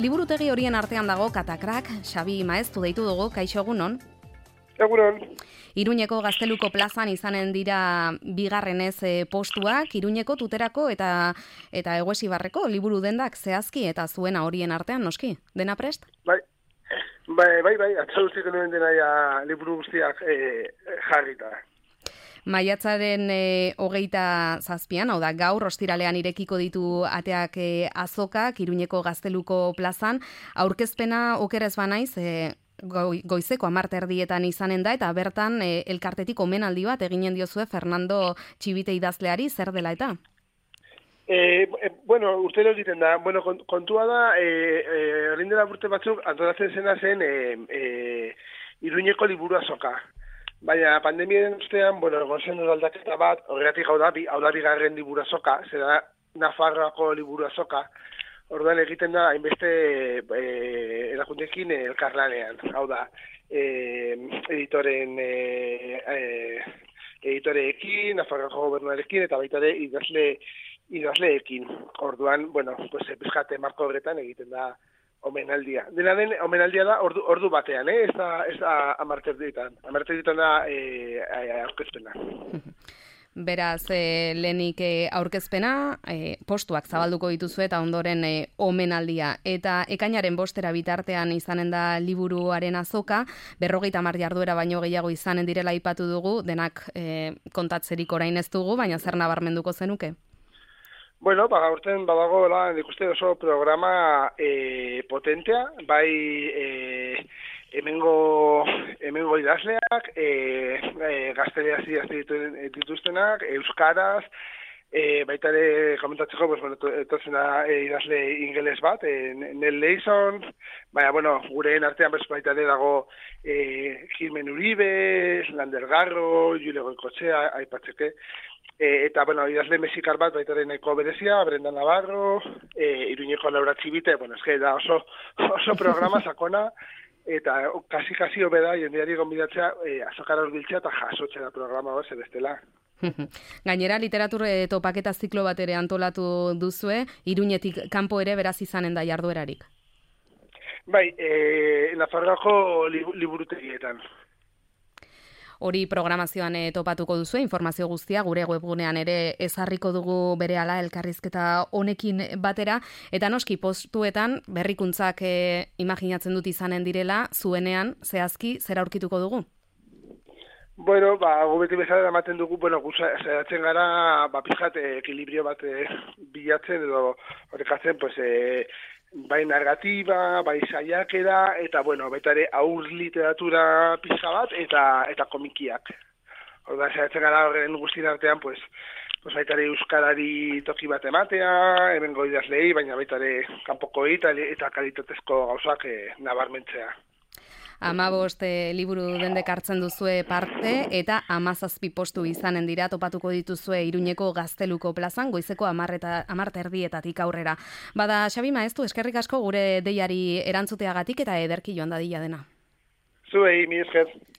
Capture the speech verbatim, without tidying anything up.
Liburutegi horien artean dago Katakrak, Xabi Maeztu deitu dugu, kaixo egunon. Egunon. Iruñeko Gazteluko plazan izanen dira bigarrenez e, postuak, Iruñeko Tuterako eta eta Eguesibarreko liburu dendak zehazki eta zuena horien artean, noski? Dena prest? Bai, bai, bai, bai, atzauztik nuen dena ja liburu guztiak e, jarrita. Maiatzaren e, hogeita zazpian, hau da, gaur ostiralean irekiko ditu ateak e, azokak, Iruñeko Gazteluko plazan, aurkezpena okerez banaiz, e, goizeko hamar erdietan izanen da, eta bertan e, elkartetik omenaldi bat eginen diozue Fernando Txibite idazleari, zer dela eta? E, e, bueno, urtero egiten da, bueno, kontua da, e, e, orain dela urte batzuk antolatzen zena zen e, e, Iruñeko liburu azoka. Baina pandemiaren ostean, bueno, gozen aldaketa bat, horregatik hau da, hau da bigarren liburu azoka, zera Nafarroako liburu azoka, orduan egiten da, hainbeste e, erakundekin elkarlanean, hau da, e, editoren e, e, editoreekin, Nafarroako gobernuarekin, eta baita ere idazle, idazleekin. Orduan, bueno, pues, pizkate marko horretan egiten da omenaldia. Dena den, omenaldia da ordu, ordu batean, eh? Ez da, ez da amarter ditan. Amarter ditan da e, aurkezpena. Beraz, e, lehenik e, aurkezpena, e, postuak zabalduko dituzu eta ondoren e, omenaldia. Eta ekainaren bostera bitartean izanen da liburuaren azoka, berrogeita hamar jarduera baino gehiago izanen direla aipatu dugu, denak e, kontatzerik orain ez dugu, baina zer nabarmenduko zenuke? Bueno, ba, gaurten badago, nik uste oso programa e, potentea, bai e, hemengo, hemengo idazleak, e, e, gazteleaz idazte dituztenak, euskaraz, e, baita ere komentatzeko, pues, bueno, etortzen da e, idazle ingeles bat, e, Nel Leison, baina, bueno, gureen artean bez, baita ere dago e, Gilmen Uribe, Lander Garro, Jule Goikoetxea, aipatzeke, E, eta, bueno, idazle mexikar bat, baita ere nahiko berezia, Brenda Navarro, e, Iruñeko Laura Txibite, bueno, eske da oso, oso programa sakona, eta kasi-kasi hobeda, jendeari gonbidatzea, e, azokara urbiltzea eta jasotzea da programa hor, bestela. Gainera, literatur e, topaketa ziklo bat ere antolatu duzue, Iruñetik kanpo ere beraz izanen da jarduerarik. Bai, e, Nafarroako liburutegietan. Hori programazioan e, topatuko duzu, informazio guztia gure webgunean ere ezarriko dugu berehala elkarrizketa honekin batera, eta noski postuetan berrikuntzak e, imaginatzen dut izanen direla, zuenean zehazki zer aurkituko dugu? Bueno, ba, gubeti bezala ematen dugu, bueno, zeratzen gara, ba, pixat, ekilibrio bat e, bilatzen, edo horrekatzen, pues, e, bai narratiba, bai saiakera, eta, bueno, baita ere aur literatura pizka bat, eta eta komikiak. Horda, zeratzen gara horren guztien artean, pues, pues baita ere euskarari toki bat ematea, hemengo idazlei, baina baita ere kanpokoi eta, eta kalitatezko gauzak e, nabarmentzea. Amabost e, liburu dendek hartzen duzue parte, eta amazazpi postu izanen dira topatuko dituzue Iruñeko Gazteluko plazan, goizeko hamar erdietatik aurrera. Bada, Xabi Maeztu, eskerrik asko gure deiari erantzuteagatik eta ederki joan dadila dena. Zuei, mi esker.